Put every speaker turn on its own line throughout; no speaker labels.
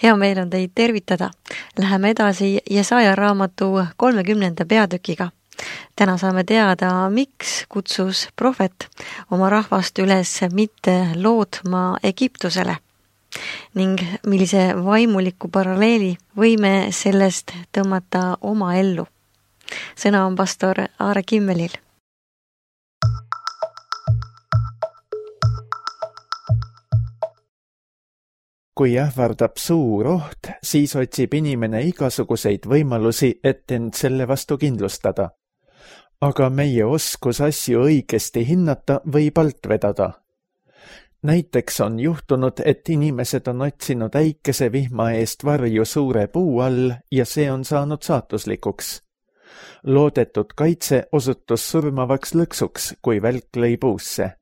Hea meel on teid tervitada. Läheme edasi Jesaja raamatu 30. peatükiga. Täna saame teada, miks kutsus prohvet oma rahvast üles mitte lootma Egiptusele ning millise vaimuliku paralleeli võime sellest tõmmata oma ellu. Sõna on pastor Aare Kimmelil.
Kui ähvardab suur oht, siis otsib inimene igasuguseid võimalusi, et end selle vastu kindlustada. Aga meie oskus asju õigesti hinnata võib alt vedada. Näiteks on juhtunud, et inimesed on otsinud äikese vihma eest varju suure puu all ja see on saanud saatuslikuks. Loodetud kaitse osutus surmavaks lõksuks, kui välk lõi puusse.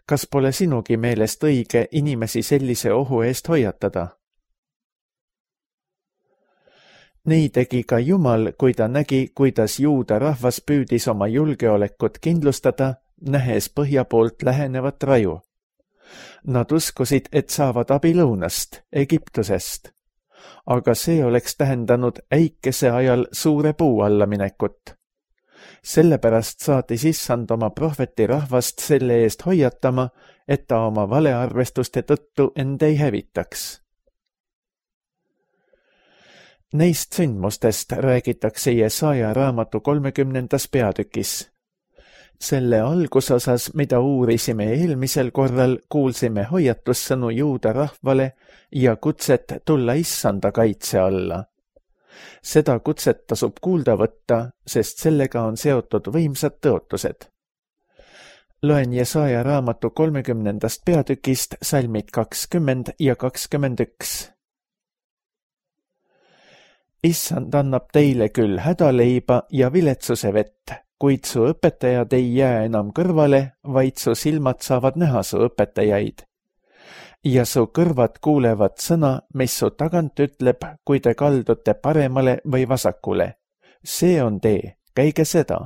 Kas pole sinugi meelest õige inimesi sellise ohu eest hoiatada? Nii tegi ka Jumal, kui ta nägi, kuidas juuda rahvas püüdis oma julgeolekut kindlustada, nähes põhja poolt lähenevat raju. Nad uskusid, et saavad abi lõunast, Egiptusest. Aga see oleks tähendanud äikese ajal suure puu alla minekut. Sellepärast saatis Issand oma prohveti rahvast selle eest hoiatama, et ta oma valearvestuste tõttu end ei hävitaks. Neist sündmustest räägitakse Jesaja raamatu 30. peatükis. Selle algusosas, mida uurisime eelmisel korral, kuulsime hoiatussõnu juuda rahvale ja kutset tulla Issanda kaitse alla. Seda kutset tasub kuulda võtta, sest sellega on seotud võimsad tõotused. Loen Jesaja raamatu 30. peatükist salmid 20 ja 21. Issand annab teile küll hädaleiba ja viletsuse vett, kuid su õpetajad ei jää enam kõrvale, vaid su silmad saavad näha su õpetajaid. Ja su kõrvad kuulevad sõna, mis su tagant ütleb, kui te kaldute paremale või vasakule. See on tee, käige seda.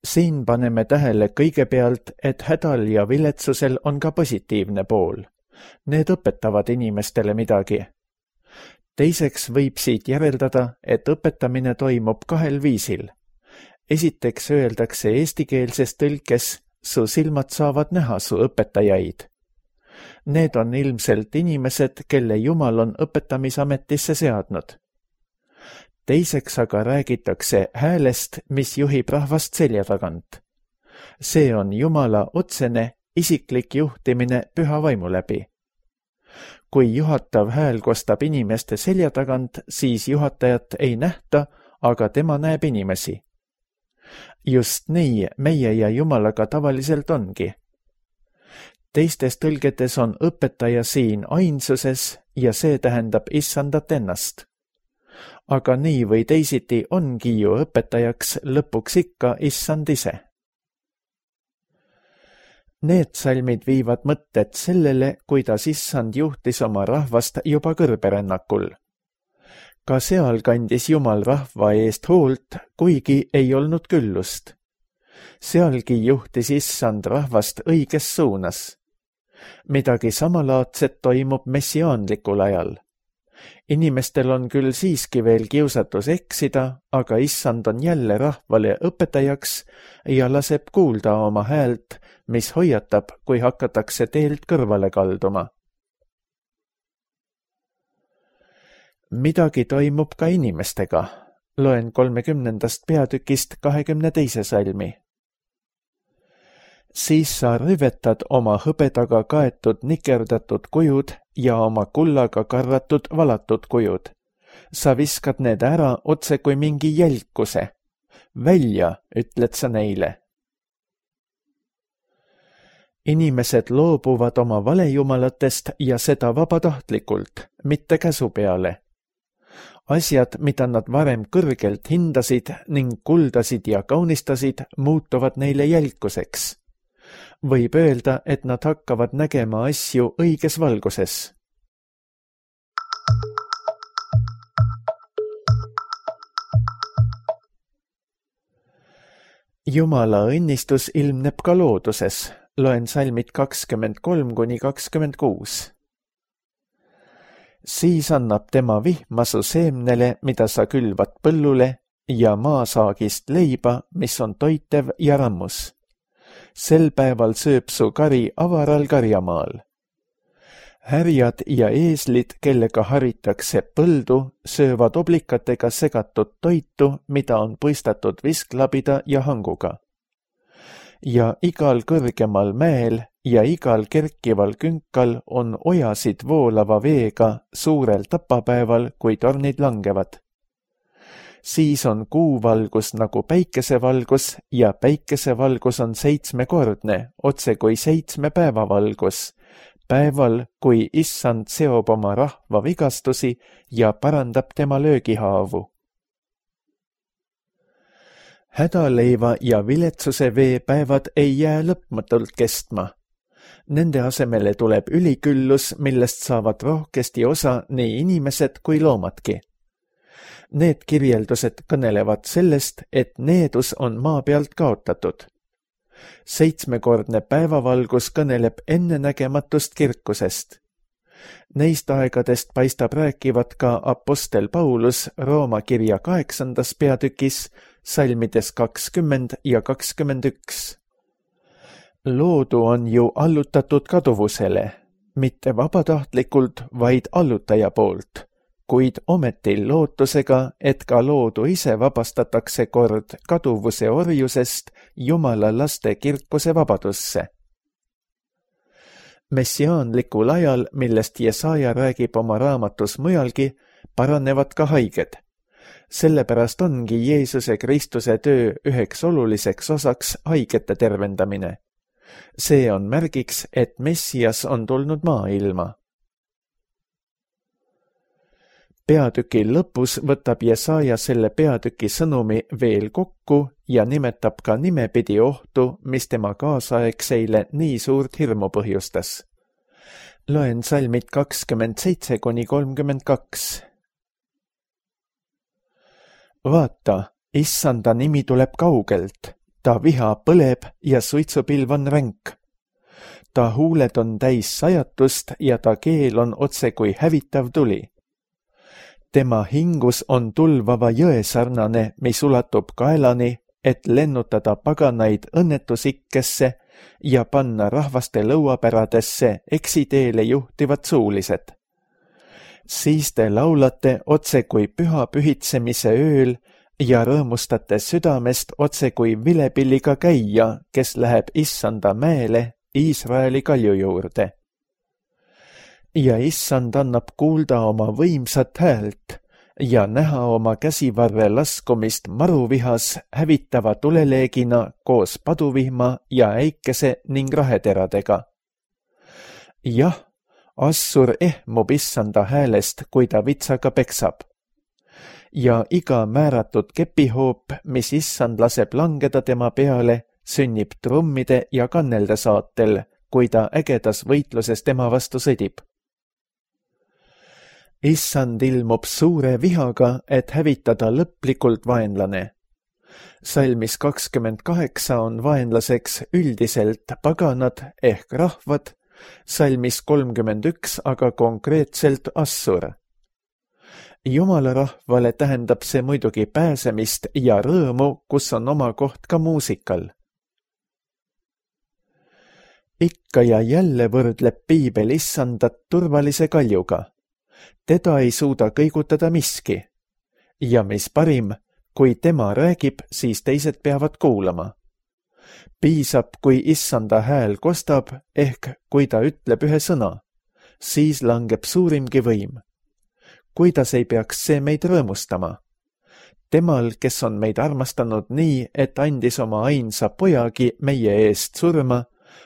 Siin paneme tähele kõigepealt, et hädal ja viletsusel on ka positiivne pool. Need õpetavad inimestele midagi. Teiseks võib siit järeldada, et õpetamine toimub kahel viisil. Esiteks öeldakse eestikeelses tõlkes, su silmad saavad näha su õpetajaid. Need on ilmselt inimesed, kelle Jumal on õpetamisametisse seadnud. Teiseks aga räägitakse häälest, mis juhib rahvast selja tagant. See on Jumala otsene, isiklik juhtimine püha vaimu läbi. Kui juhatav hääl kostab inimeste selja tagant, siis juhatajat ei nähta, aga tema näeb inimesi. Just nii meie ja Jumalaga tavaliselt ongi. Teistes tõlgetes on õpetaja siin ainsuses ja see tähendab Issandat ennast. Aga nii või teisiti ongi ju õpetajaks lõpuks ikka Issand ise. Need salmid viivad mõtted sellele, kuidas Issand juhtis oma rahvast juba kõrberännakul. Ka seal kandis Jumal rahva eest hoolt, kuigi ei olnud küllust. Sealgi juhtis Issand rahvast õiges suunas. Midagi samalaadset toimub messiaanlikul ajal. Inimestel on küll siiski veel kiusatus eksida, aga Issand on jälle rahvale õpetajaks ja laseb kuulda oma häält, mis hoiatab, kui hakatakse teelt kõrvale kalduma. Midagi toimub ka inimestega. Loen 30. peatükist 22. salmi. Siis sa rüvetad oma hõbedaga kaetud nikerdatud kujud ja oma kullaga karvatud valatud kujud. Sa viskad need ära otse kui mingi jälkuse. Välja, ütled sa neile. Inimesed loobuvad oma valejumalatest ja seda vabatahtlikult, mitte käsu peale. Asjad, mida nad varem kõrgelt hindasid ning kuldasid ja kaunistasid, muutuvad neile jälkuseks. Võib öelda, et nad hakkavad nägema asju õiges valguses. Jumala õnnistus ilmneb ka looduses. Loen salmid 23–26. Siis annab tema vihma su seemnele, mida sa külvad põllule, ja maasaagist leiba, mis on toitev ja rammus. Sel päeval sööb su kari avaral karjamaal. Härjad ja eeslid, kellega haritakse põldu, söövad oblikatega segatud toitu, mida on puistatud visklabida ja hanguga. Ja igal kõrgemal mäel ja igal kerkival künkal on ojasid voolava veega suurel tapapäeval, kui tornid langevad. Siis on kuuvalgus nagu päikesevalgus ja päikesevalgus on 7-kordne, otse kui 7 päevavalgus, päeval, kui Issand seob oma rahva vigastusi ja parandab tema löögihaavu. Hädaleiva ja viletsuse vee päevad ei jää lõpmatult kestma. Nende asemele tuleb üliküllus, millest saavad rohkesti osa nii inimesed kui loomadki. Need kirjeldused kõnelevad sellest, et needus on maa pealt kaotatud. 7-kordne päevavalgus kõneleb ennenägematust kirkusest. Neist aegadest paistab rääkivat ka apostel Paulus Rooma kirja 8. peatükis, salmides 20 ja 21. Loodu on ju allutatud kaduvusele, mitte vabatahtlikult, vaid allutaja poolt, kuid ometi lootusega, et ka loodu ise vabastatakse kord kaduvuse orjusest Jumala laste kirkuse vabadusse. Messiaanlikul ajal, millest Jesaja räägib oma raamatus mujalgi, paranevad ka haiged. Sellepärast ongi Jeesuse Kristuse töö üheks oluliseks osaks haigete tervendamine. See on märgiks, et Messias on tulnud maailma. Peatüki lõpus võtab Jesaja selle peatüki sõnumi veel kokku ja nimetab ka nimepidi ohtu, mis tema kaasaegseile nii suurt hirmu põhjustas. Loen salmid 27-32. Vaata, Issanda nimi tuleb kaugelt, ta viha põleb ja suitsupilv on ränk. Ta huuled on täis sajatust ja ta keel on otse kui hävitav tuli. Tema hingus on tulvava jõe sarnane, mis ulatub kaelani, et lennutada paganaid õnnetusikkesse ja panna rahvaste lõuapäradesse eksiteele juhtivad suulised. Siis te laulate otse kui püha pühitsemise ööl ja rõõmustate südamest otse kui vilepilliga käija, kes läheb Issanda mäele Iisraeli kalju juurde. Ja Issand annab kuulda oma võimsat häält ja näha oma käsivarre laskumist maruvihas hävitava tuleleegina koos paduvihma ja äikese ning raheteradega. Jah, Assur ehmub Issanda häälest, kui ta vitsaga peksab. Ja iga määratud kepihoop, mis Issand laseb langeda tema peale, sünnib trummide ja kannelde saatel, kui ta ägedas võitluses tema vastu sõdib. Issand ilmub suure vihaga, et hävitada lõplikult vaenlane. Salmis 28 on vaenlaseks üldiselt paganad ehk rahvad, salmis 31 aga konkreetselt Assur. Jumala rahvale tähendab see muidugi pääsemist ja rõõmu, kus on oma koht ka muusikal. Ikka ja jälle võrdleb piibel Issandat turvalise kaljuga. Teda ei suuda kõigutada miski. Ja mis parim, kui tema räägib, siis teised peavad kuulama. Piisab, kui Issanda hääl kostab, ehk kui ta ütleb ühe sõna, siis langeb suurimgi võim. Kuidas ei peaks see meid rõõmustama? Temal, kes on meid armastanud nii, et andis oma ainsa pojagi meie eest surma,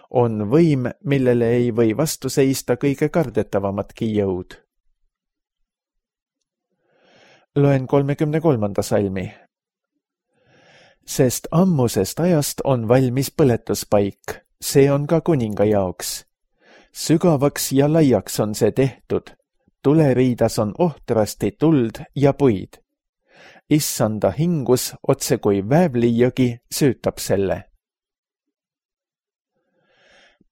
on võim, millele ei või vastu seista kõige kardetavamatki jõud. Loen 33. salmi. Sest ammusest ajast on valmis põletuspaik, see on ka kuninga jaoks. Sügavaks ja laiaks on see tehtud, tuleriidas on ohtrasti tuld ja puid. Issanda hingus otse kui Väävlijõgi süütab selle.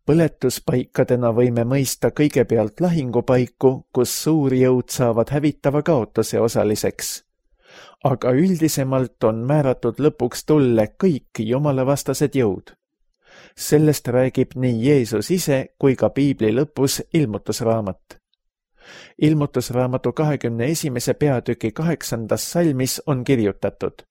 Põletuspaikadena võime mõista kõigepealt lahingupaiku, kus suurjõud saavad hävitava kaotuse osaliseks. Aga üldisemalt on määratud lõpuks tulle kõik jumalavastased jõud. Sellest räägib nii Jeesus ise kui ka piibli lõpus Ilmutusraamat. Ilmutusraamatu 21. peatüki 8. salmis on kirjutatud: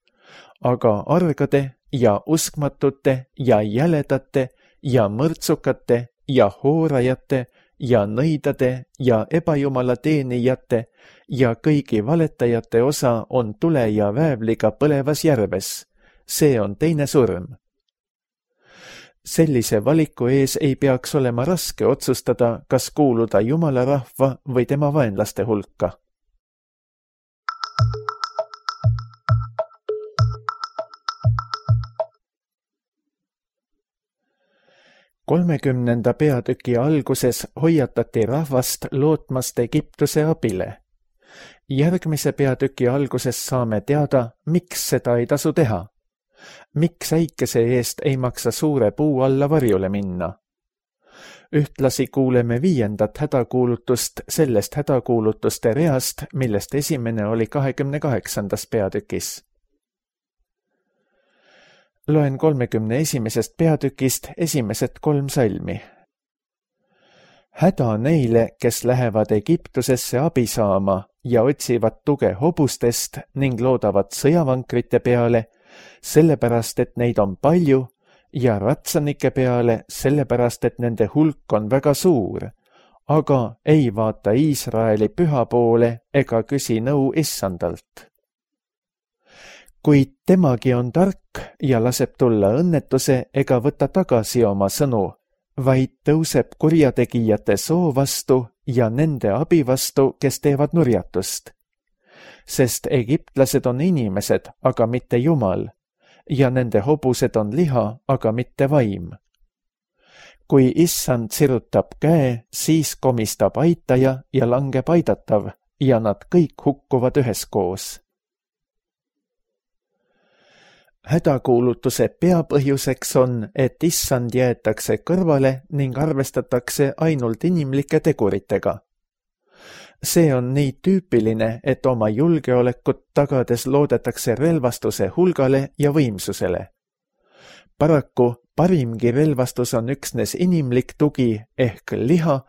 aga argade ja uskmatute ja jäledate ja mõrtsukate ja hoorajate ja nõidade ja ebajumala teenijate ja kõigi valetajate osa on tule ja väävliga põlevas järves. See on teine surm. Sellise valiku ees ei peaks olema raske otsustada, kas kuuluda Jumala rahva või tema vaenlaste hulka. Kolmekümnenda peatüki alguses hoiatati rahvast lootmast Egiptuse abile. Järgmise peatüki alguses saame teada, miks seda ei tasu teha. Miks äikese eest ei maksa suure puu alla varjule minna? Ühtlasi kuuleme 5. hädakuulutust sellest hädakuulutuste reast, millest esimene oli 28. peatükis. Loen 31. peatükist esimesed 3 salmi. Häda neile, kes lähevad Egiptusesse abi saama ja otsivad tuge hobustest ning loodavad sõjavankrite peale, sellepärast, et neid on palju, ja ratsanike peale, sellepärast, et nende hulk on väga suur, aga ei vaata Iisraeli püha poole ega küsi nõu Issandalt. Kuid temagi on tark ja laseb tulla õnnetuse ega võta tagasi oma sõnu, vaid tõuseb kurjategijate soo vastu ja nende abi vastu, kes teevad nurjatust. Sest egiptlased on inimesed, aga mitte Jumal, ja nende hobused on liha, aga mitte vaim. Kui Issand sirutab käe, siis komistab aitaja ja langeb aidatav, ja nad kõik hukkuvad üheskoos. Hädakuulutuse peapõhjuseks on, et Issand jäetakse kõrvale ning arvestatakse ainult inimlike teguritega. See on nii tüüpiline, et oma julgeolekut tagades loodetakse relvastuse hulgale ja võimsusele. Paraku parimgi relvastus on üksnes inimlik tugi ehk liha,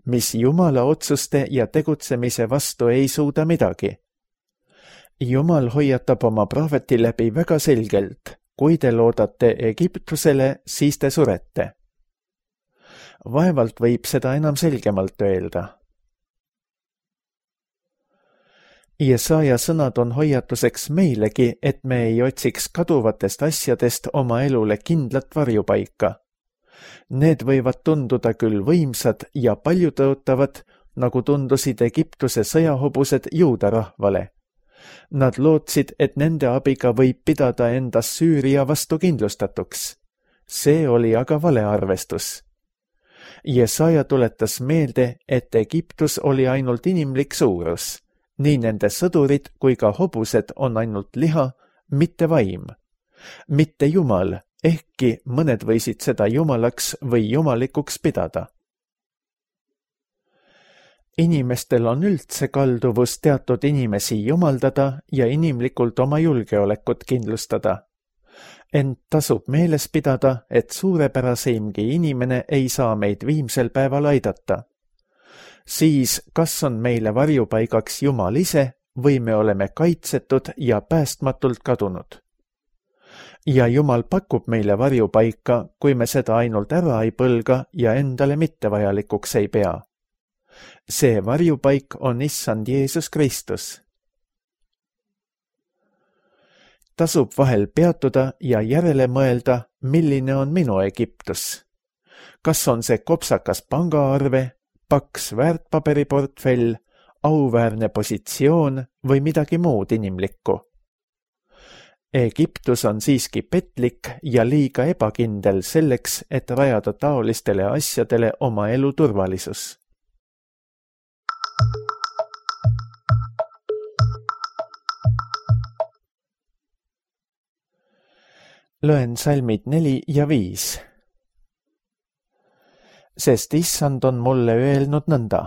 mis Jumala otsuste ja tegutsemise vastu ei suuda midagi. Jumal hoiatab oma prohveti läbi väga selgelt: kui te loodate Egiptusele, siis te surete. Vaevalt võib seda enam selgemalt öelda. Jesaja sõnad on hoiatuseks meilegi, et me ei otsiks kaduvatest asjadest oma elule kindlat varjupaika. Need võivad tunduda küll võimsad ja paljutõotavad, nagu tundusid Egiptuse sõjahobused juuda rahvale. Nad lootsid, et nende abiga võib pidada enda Süüria vastu kindlustatuks. See oli aga valearvestus. Jesaja tuletas meelde, et Egiptus oli ainult inimlik suurus. Nii nende sõdurid kui ka hobused on ainult liha, mitte vaim. Mitte Jumal, ehkki mõned võisid seda jumalaks või jumalikuks pidada. Inimestel on üldse kalduvus teatud inimesi jumaldada ja inimlikult oma julgeolekut kindlustada. Ent tasub meeles pidada, et suurepäraseimgi inimene ei saa meid viimsel päeval aidata. Siis kas on meile varjupaigaks Jumal ise või me oleme kaitsetud ja päästmatult kadunud. Ja Jumal pakub meile varjupaika, kui me seda ainult ära ei põlga ja endale mittevajalikuks ei pea. See varjupaik on Issand Jeesus Kristus. Tasub vahel peatuda ja järele mõelda, milline on minu Egiptus. Kas on see kopsakas pangaarve, paks väärtpaberiportfell, auväärne positsioon või midagi muud inimlikku? Egiptus on siiski petlik ja liiga ebakindel selleks, et rajada taolistele asjadele oma elu turvalisus. Loen salmid 4 ja 5. sest issand on mulle öelnud nõnda.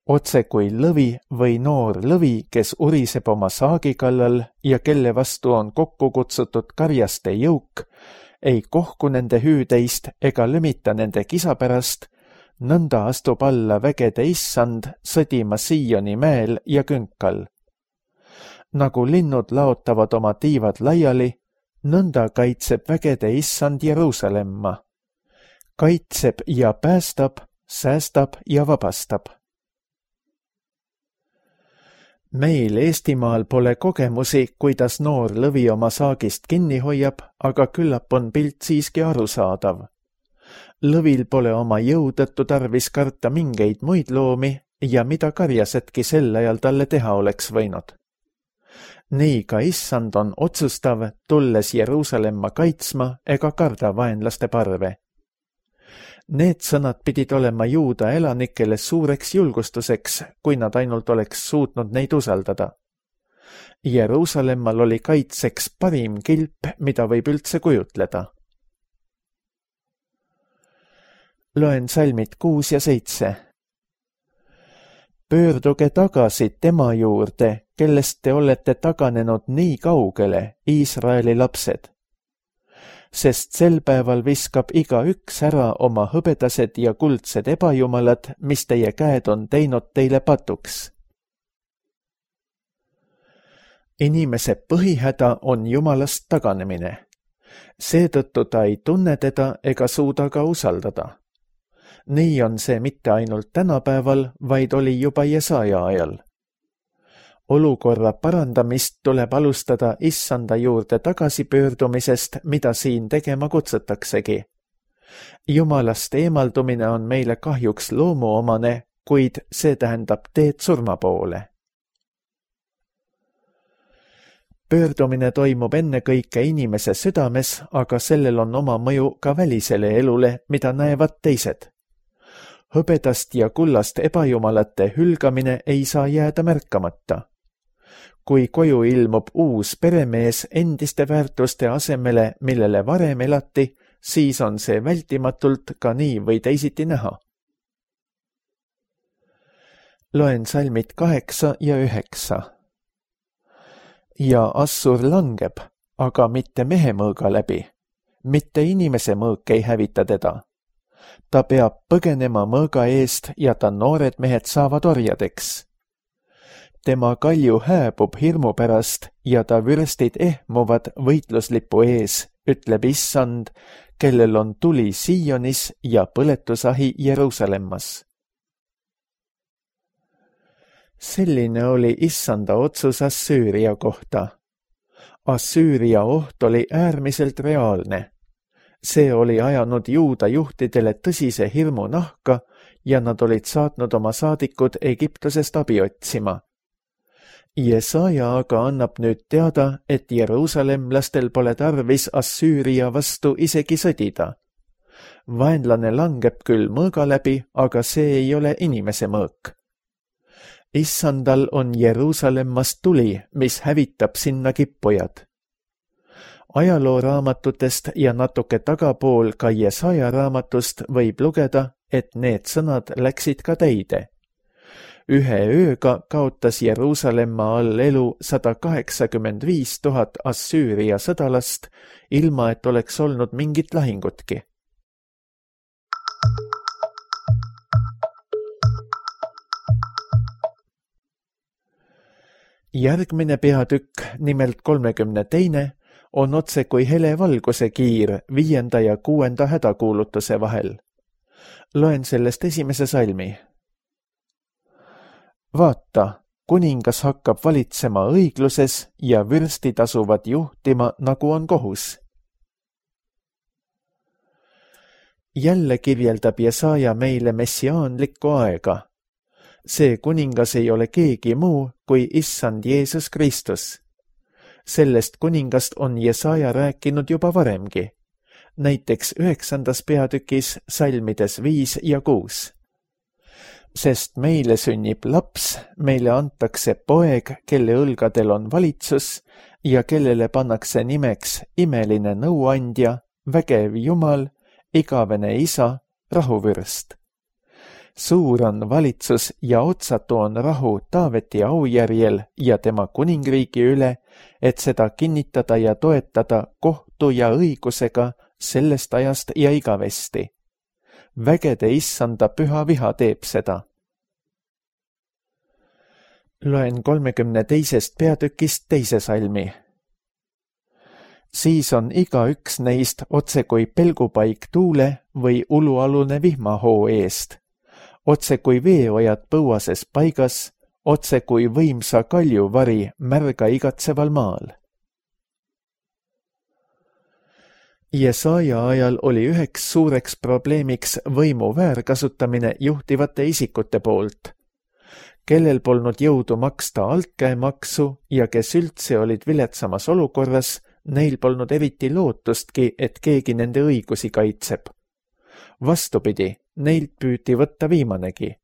Otse kui lõvi või noor lõvi, kes uriseb oma saagi kallal ja kelle vastu on kokku kutsutud karjaste jõuk, ei kohku nende hüüdeist ega lömita nende kisa pärast, nõnda astub alla vägede issand sõdima Sioni mäel ja künkal. Nagu linnud laotavad oma tiivad laiali, nõnda kaitseb vägede issand Jeruusalemma. Kaitseb ja päästab, säästab ja vabastab. Meil Eestimaal pole kogemusi, kuidas noor lõvi oma saagist kinni hoiab, aga küllap on pilt siiski arusaadav. Lõvil pole oma jõu tõttu tarvis karta mingeid muid loomi ja mida karjasedki sel ajal talle teha oleks võinud. Nii ka issand on otsustav, tulles Jeruusalemma kaitsma ega karda vaenlaste parve. Need sõnad pidid olema juuda elanikele suureks julgustuseks, kui nad ainult oleks suutnud neid usaldada. Jeruusalemmal oli kaitseks parim kilp, mida võib üldse kujutleda. Loen salmid 6 ja 7. Pöörduge tagasi tema juurde, kellest te olete taganenud nii kaugele, Iisraeli lapsed. Sest sel päeval viskab igaüks ära oma hõbedased ja kuldsed ebajumalad, mis teie käed on teinud teile patuks. Inimese põhihäda on Jumalast taganemine. Seetõttu ta ei tunne teda ega suuda ka usaldada. Nii on see mitte ainult tänapäeval, vaid oli juba Jesaja ajal. Olukorra parandamist tuleb alustada issanda juurde tagasipöördumisest, mida siin tegema kutsutaksegi. Jumalast eemaldumine on meile kahjuks loomuomane, kuid see tähendab teed surma poole. Pöördumine toimub ennekõike inimese südames, aga sellel on oma mõju ka välisele elule, mida näevad teised. Hõbedast ja kullast ebajumalate hülgamine ei saa jääda märkamata. Kui koju ilmub uus peremees endiste väärtuste asemele, millele varem elati, siis on see vältimatult ka nii või teisiti näha. Loen salmid 8 ja 9. Ja Assur langeb, aga mitte mehe mõõga läbi. Mitte inimese mõõk ei hävita teda. Ta peab põgenema mõõga eest ja ta noored mehed saavad orjadeks. Tema kalju hääbub hirmu pärast ja ta vürstid ehmuvad võitluslipu ees, ütleb issand, kellel on tuli Sionis ja põletusahi Jeruusalemmas. Selline oli issanda otsus Assüüria kohta. Assüüria oht oli äärmiselt reaalne. See oli ajanud juuda juhtidele tõsise hirmu nahka ja nad olid saatnud oma saadikud Egiptusest abi otsima. Jesaja aga annab nüüd teada, et jeruusalemlastel pole tarvis Assüüria vastu isegi sõdida. Vaenlane langeb küll mõõga läbi, aga see ei ole inimese mõõk. Issandal on Jeruusalemmast tuli, mis hävitab sinna kippujad. Ajalooraamatutest ja natuke tagapool ka Jesaja raamatust võib lugeda, et need sõnad läksid ka täide. Ühe ööga kaotas Jeruusalemma all elu 185 000 Assüüria sõdalast, ilma et oleks olnud mingit lahingutki. Järgmine peatükk, nimelt 32, on otse kui hele valguse kiir 5. ja 6. hädakuulutuse vahel. Loen sellest esimese salmi. Vaata, kuningas hakkab valitsema õigluses ja vürstid asuvad juhtima, nagu on kohus. Jälle kirjeldab Jesaja meile messiaanlikku aega. See kuningas ei ole keegi muu kui issand Jeesus Kristus. Sellest kuningast on Jesaja rääkinud juba varemgi, näiteks 9. peatükis salmides 5 ja 6. Sest meile sünnib laps, meile antakse poeg, kelle õlgadel on valitsus ja kellele pannakse nimeks imeline nõuandja, vägev Jumal, igavene isa, rahuvürst. Suur on valitsus ja otsatu on rahu Taaveti aujärjel ja tema kuningriigi üle, et seda kinnitada ja toetada kohtu ja õigusega sellest ajast ja igavesti. Vägede issanda püha viha teeb seda. Loen 32. peatükist 2. salmi. Siis on igaüks neist otse kui pelgupaik tuule või ulualune vihmahoo eest, otse kui veeojad põuases paigas, otse kui võimsa kaljuvari märga igatseval maal. Jesaja ajal oli üheks suureks probleemiks võimu väärkasutamine juhtivate isikute poolt, kellel polnud jõudu maksta altkäemaksu ja kes üldse olid viletsamas olukorras, neil polnud eriti lootustki, et keegi nende õigusi kaitseb. Vastupidi, neilt püüti võtta viimanegi.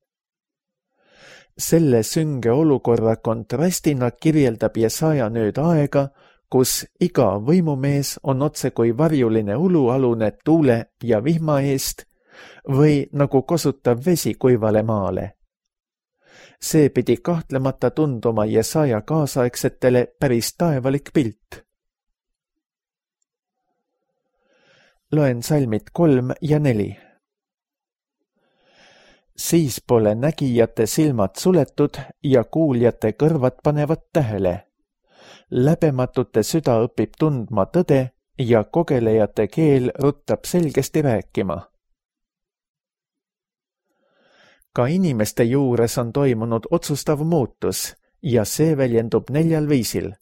Selle sünge olukorra kontrastina kirjeldab Jesaja nüüd aega, kus iga võimumees on otse kui varjuline ulualune tuule ja vihma eest või nagu kosutav vesi kuivale maale. See pidi kahtlemata tunduma Jesaja kaasaegsetele päris taevalik pilt. Loen salmid 3 ja 4. Siis pole nägijate silmad suletud ja kuuljate kõrvad panevad tähele. Läbematute süda õpib tundma tõde ja kogelejate keel ruttab selgesti rääkima. Ka inimeste juures on toimunud otsustav muutus ja see väljendub 4 viisil.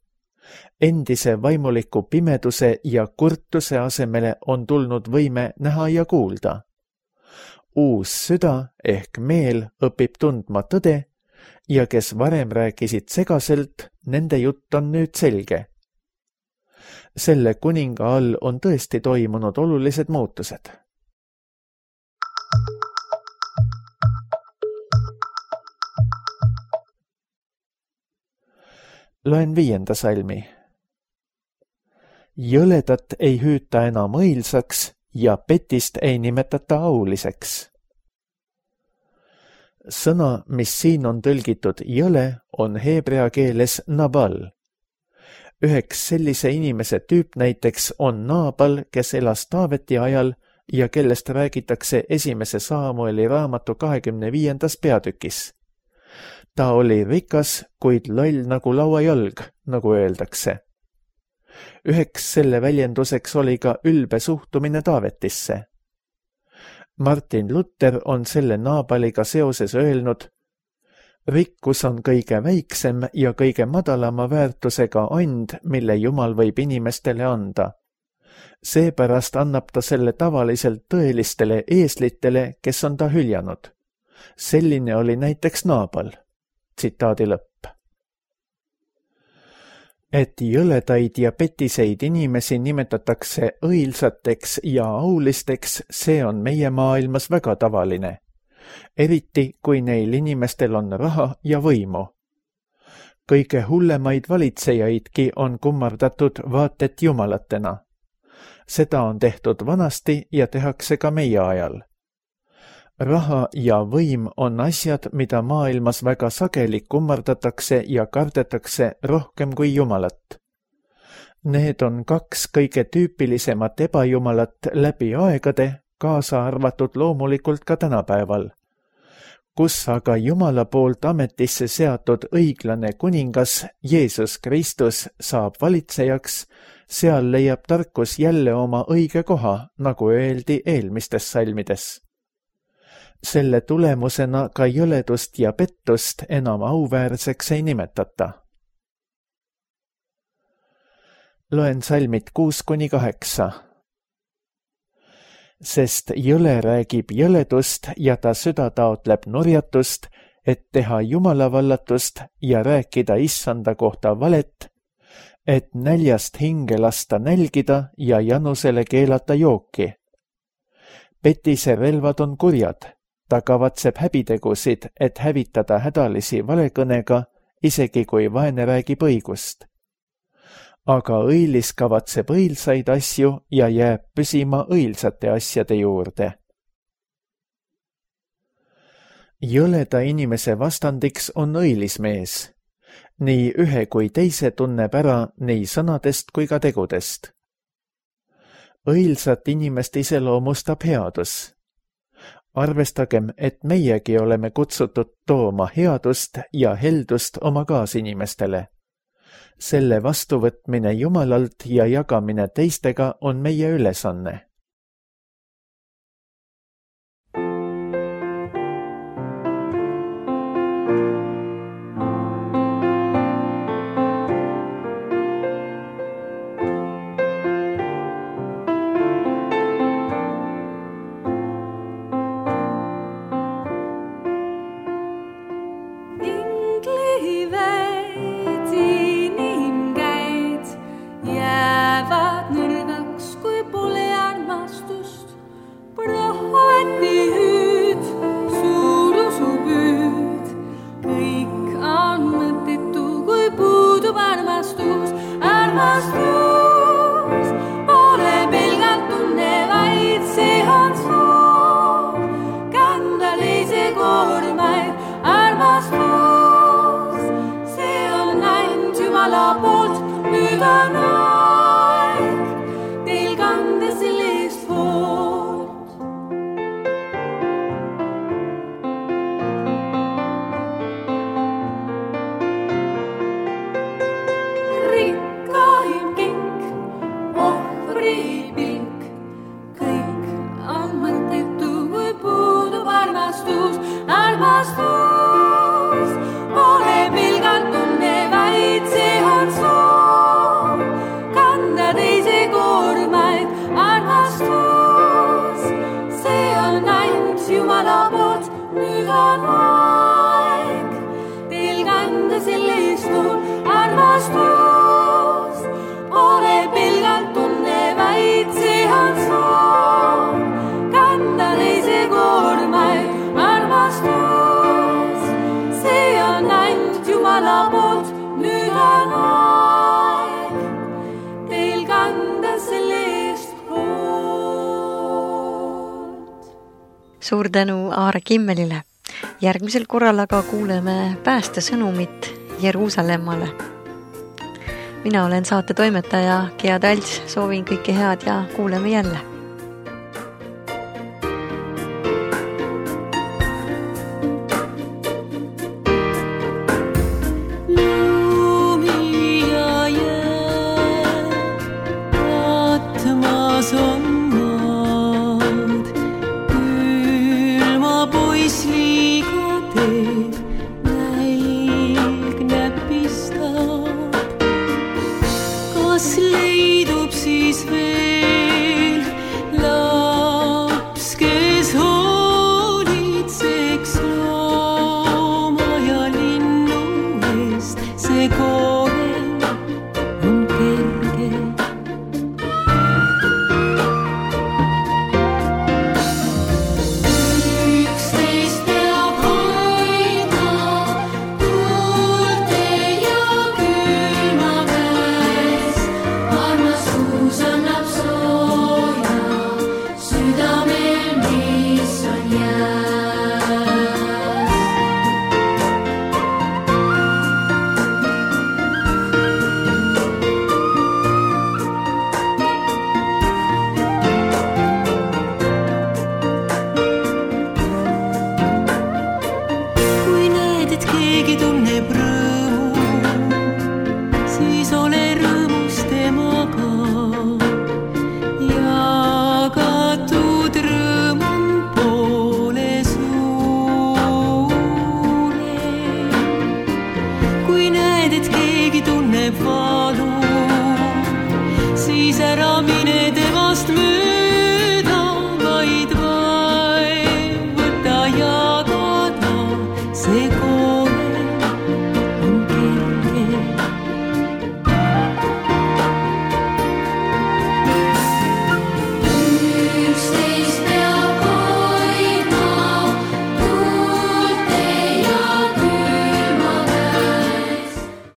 Endise vaimuliku pimeduse ja kurtuse asemele on tulnud võime näha ja kuulda. Uus süda ehk meel õpib tundma tõde ja kes varem rääkisid segaselt, nende jutt on nüüd selge. Selle kuninga all on tõesti toimunud olulised muutused. Loen 5. salmi. Jõledat ei hüüta enam õilsaks ja petist ei nimetata auliseks. Sõna, mis siin on tõlgitud jõle, on heebrea keeles nabal. Üheks sellise inimese tüüp näiteks on Naabal, kes elas Taaveti ajal ja kellest räägitakse 1. Saamueli raamatu 25. peatükis. Ta oli rikas, kuid loll nagu lauajalg, nagu öeldakse. Üheks selle väljenduseks oli ka ülbe suhtumine Taavetisse. Martin Luther on selle Naabaliga seoses öelnud, rikkus on kõige väiksem ja kõige madalama väärtusega and, mille Jumal võib inimestele anda. Seepärast annab ta selle tavaliselt tõelistele eeslitele, kes on ta hüljanud. Selline oli näiteks Naabal. Tsitaadi lõpp. Et jõledaid ja petiseid inimesi nimetatakse õilsateks ja aulisteks, see on meie maailmas väga tavaline. Eriti, kui neil inimestel on raha ja võimu. Kõige hullemaid valitsejaidki on kummardatud vaat et jumalatena. Seda on tehtud vanasti ja tehakse ka meie ajal. Raha ja võim on asjad, mida maailmas väga sageli kummardatakse ja kardetakse rohkem kui Jumalat. Need on 2 kõige tüüpilisemat ebajumalat läbi aegade, kaasa arvatud loomulikult ka tänapäeval. Kus aga Jumala poolt ametisse seatud õiglane kuningas Jeesus Kristus saab valitsejaks, seal leiab tarkus jälle oma õige koha, nagu öeldi eelmistes salmides. Selle tulemusena ka jõledust ja pettust enam auväärseks ei nimetata. Loen salmid 6-8. Sest jõle räägib jõledust ja ta süda taotleb nurjatust, et teha jumalavallatust ja rääkida issanda kohta valet, et näljast hinge lasta nälgida ja janusele keelata jooki. Petise relvad on kurjad. Ta kavatseb häbitegusid, et hävitada hädalisi valekõnega, isegi kui vaene räägib õigust. Aga õilis kavatseb õilsaid asju ja jääb püsima õilsate asjade juurde. Jõleda inimese vastandiks on õilis mees. Nii ühe kui teise tunneb ära nii sõnadest kui ka tegudest. Õilsat inimest iseloomustab headus. Arvestagem, et meiegi oleme kutsutud tooma headust ja heldust oma kaasinimestele. Selle vastuvõtmine Jumalalt ja jagamine teistega on meie ülesanne.
Suur tänu Aare Kimmelile. Järgmisel korral aga kuuleme päästesõnumit Jeruusalemmale. Mina olen saate toimetaja Gea Talts, soovin kõike head ja kuuleme jälle.
Siis ära mine